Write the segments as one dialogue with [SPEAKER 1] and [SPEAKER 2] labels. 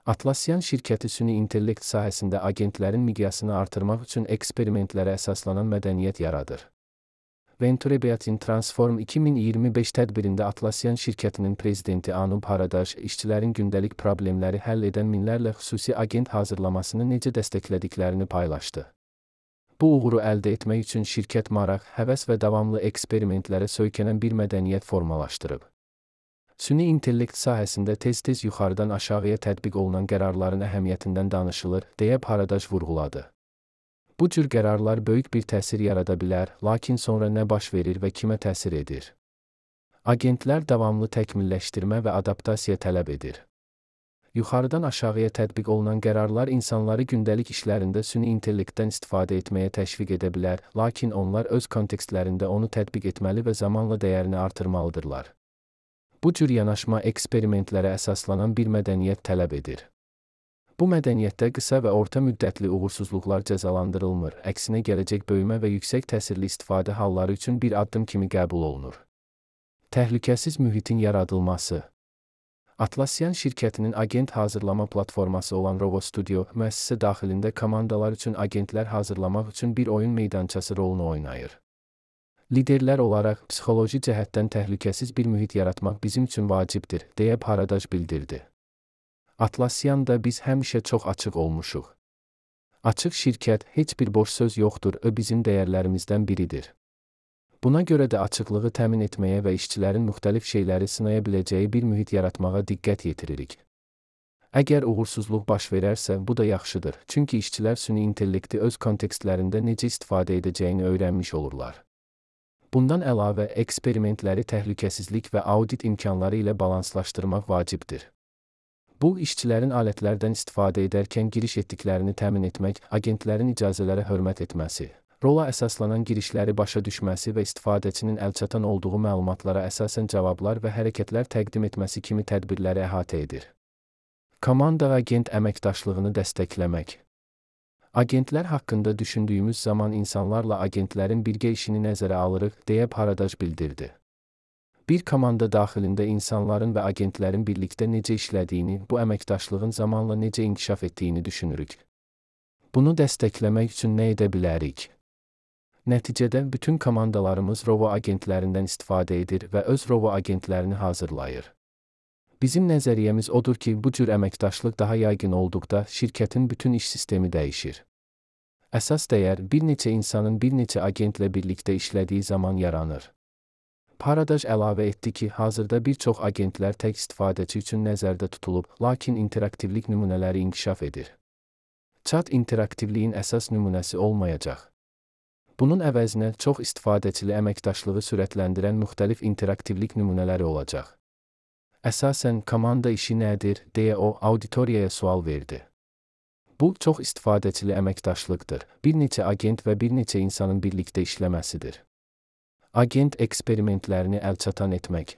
[SPEAKER 1] Atlassian şirkəti süni intellekt sahəsində agentlərin miqyasını artırmaq üçün eksperimentlərə əsaslanan mədəniyyət yaradır. Venture in Transform 2025 tədbirində Atlassian şirkətinin prezidenti Anup Haradaş işçilərin gündəlik problemləri həll edən minlərlə xüsusi agent hazırlamasını necə dəstəklədiklərini paylaşdı. Bu uğuru əldə etmək üçün şirkət maraq, həvəs və davamlı eksperimentlərə söykənən bir mədəniyyət formalaşdırıb. Süni intellekt sahəsində tez-tez yuxarıdan aşağıya tətbiq olunan qərarların əhəmiyyətindən danışılır, deyə Haradaş vurğuladı. Bu cür qərarlar böyük bir təsir yarada bilər, lakin sonra nə baş verir və kimə təsir edir? Agentlər davamlı təkmilləşdirmə və adaptasiya tələb edir. Yuxarıdan aşağıya tətbiq olunan qərarlar insanları gündəlik işlərində süni intellektdən istifadə etməyə təşviq edə bilər, lakin onlar öz kontekstlərində onu tətbiq etməli və zamanla dəyərini artırmalıdırlar. Bu cür yanaşma eksperimentlərə əsaslanan bir mədəniyyət tələb edir. Bu mədəniyyətdə qısa və orta müddətli uğursuzluqlar cəzalandırılmır, əksinə gələcək böyümə və yüksək təsirli istifadə halları üçün bir addım kimi qəbul olunur. Təhlükəsiz mühitin yaradılması. Atlassian şirkətinin agent hazırlama platforması olan Rovo Studio, müəssisə daxilində komandalar üçün agentlər hazırlamaq üçün bir oyun meydançası rolunu oynayır. Liderlər olaraq psixoloji cəhətdən təhlükəsiz bir mühit yaratmaq bizim üçün vacibdir, deyə Haradaş bildirdi. Atlassian'da biz həmişə çox açıq olmuşuq. Açıq şirkət, heç bir boş söz yoxdur, bizim dəyərlərimizdən biridir. Buna görə də açıqlığı təmin etməyə və işçilərin müxtəlif şeyləri sınaya biləcəyi bir mühit yaratmağa diqqət yetiririk. Əgər uğursuzluq baş verərsə, bu da yaxşıdır, çünki işçilər süni intellekti öz kontekstlərində necə istifadə edəcəyini öyrənmiş olurlar. Bundan əlavə, eksperimentləri təhlükəsizlik və audit imkanları ilə balanslaşdırmaq vacibdir. Bu, işçilərin alətlərdən istifadə edərkən giriş etdiklərini təmin etmək, agentlərin icazələrə hörmət etməsi, rola əsaslanan girişləri başa düşməsi və istifadəçinin əlçatan olduğu məlumatlara əsasən cavablar və hərəkətlər təqdim etməsi kimi tədbirləri əhatə edir. Komanda agent əməkdaşlığını dəstəkləmək. Agentlər haqqında düşündüyümüz zaman insanlarla agentlərin birgə işini nəzərə alırıq, deyə Haradaş bildirdi. Bir komanda daxilində insanların və agentlərin birlikdə necə işlədiyini, bu əməkdaşlığın zamanla necə inkişaf etdiyini düşünürük. Bunu dəstəkləmək üçün nə edə bilərik? Nəticədə bütün komandalarımız Rovo agentlərindən istifadə edir və öz Rovo agentlərini hazırlayır. Bizim nəzəriyyəmiz odur ki, bu cür əməkdaşlıq daha yaygın olduqda şirkətin bütün iş sistemi dəyişir. Əsas dəyər bir neçə insanın bir neçə agentlə birlikdə işlədiyi zaman yaranır. Haradaş əlavə etdi ki, hazırda bir çox agentlər tək istifadəçi üçün nəzərdə tutulub, lakin interaktivlik nümunələri inkişaf edir. Chat interaktivliyin əsas nümunəsi olmayacaq. Bunun əvəzinə çox istifadəçili əməkdaşlığı sürətləndirən müxtəlif interaktivlik nümunələri olacaq. Əsasən, komanda işi nədir, deyə o, auditoriyaya sual verdi. Bu, çox istifadəçili əməkdaşlıqdır, bir neçə agent və bir neçə insanın birlikdə işləməsidir. Agent eksperimentlərini əlçatan etmək.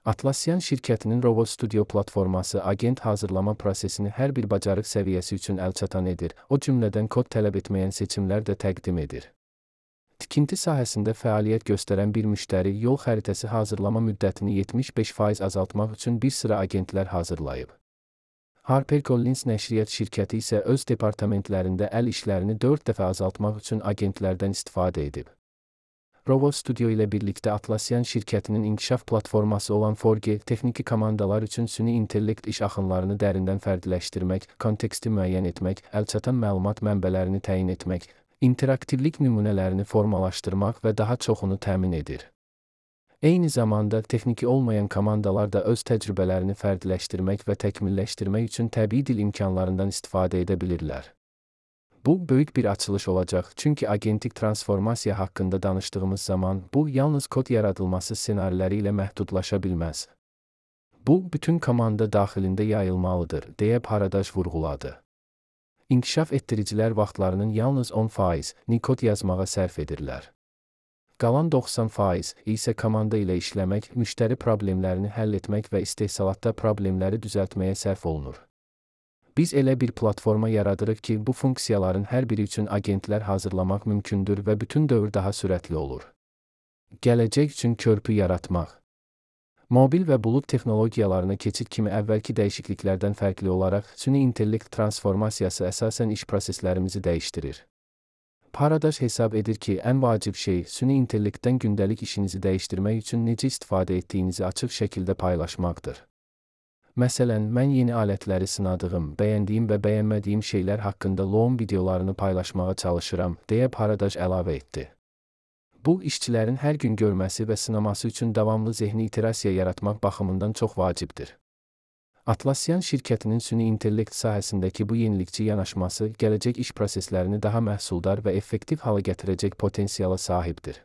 [SPEAKER 1] Atlassian şirkətinin Rovo Studio platforması agent hazırlama prosesini hər bir bacarıq səviyyəsi üçün əlçatan edir, o cümlədən kod tələb etməyən seçimlər də təqdim edir. Tikinti sahəsində fəaliyyət göstərən bir müştəri yol xəritəsi hazırlama müddətini 75% azaltmaq üçün bir sıra agentlər hazırlayıb. HarperCollins nəşriyyat şirkəti isə öz departamentlərində əl işlərini 4 dəfə azaltmaq üçün agentlərdən istifadə edib. Rovo Studio ilə birlikdə Atlassian şirkətinin inkişaf platforması olan Forge, texniki komandalar üçün süni intellekt iş axınlarını dərindən fərdiləşdirmək, konteksti müəyyən etmək, əlçatan məlumat mənbələrini təyin etmək, interaktivlik nümunələrini formalaşdırmaq və daha çoxunu təmin edir. Eyni zamanda, texniki olmayan komandalar da öz təcrübələrini fərdiləşdirmək və təkmilləşdirmək üçün təbii dil imkanlarından istifadə edə bilirlər. Bu, böyük bir açılış olacaq, çünki agentik transformasiya haqqında danışdığımız zaman, bu, yalnız kod yaradılması ssenariləri ilə məhdudlaşa bilməz. Bu, bütün komanda daxilində yayılmalıdır, deyə Haradaş vurğuladı. İnkişaf etdiricilər vaxtlarının yalnız 10% kod yazmağa sərf edirlər. Qalan 90% isə komanda ilə işləmək, müştəri problemlərini həll etmək və istehsalatda problemləri düzəltməyə sərf olunur. Biz elə bir platforma yaradırıq ki, bu funksiyaların hər biri üçün agentlər hazırlamaq mümkündür və bütün dövr daha sürətli olur. Gələcək üçün körpü yaratmaq. Mobil və bulud texnologiyalarına keçid kimi əvvəlki dəyişikliklərdən fərqli olaraq, süni intellekt transformasiyası əsasən iş proseslərimizi dəyişdirir. Paradaş hesab edir ki, ən vacib şey, süni intellektdən gündəlik işinizi dəyişdirmək üçün necə istifadə etdiyinizi açıq şəkildə paylaşmaqdır. Məsələn, mən yeni alətləri sınadığım, bəyəndiyim və bəyənmədiyim şeylər haqqında loğum videolarını paylaşmağa çalışıram, deyə Paradaş əlavə etdi. Bu, işçilərin hər gün görməsi və sınaması üçün davamlı zehni iterasiya yaratmaq baxımından çox vacibdir. Atlassian şirkətinin süni intellekt sahəsindəki bu yenilikçi yanaşması, gələcək iş proseslərini daha məhsuldar və effektiv hala gətirəcək potensiala sahibdir.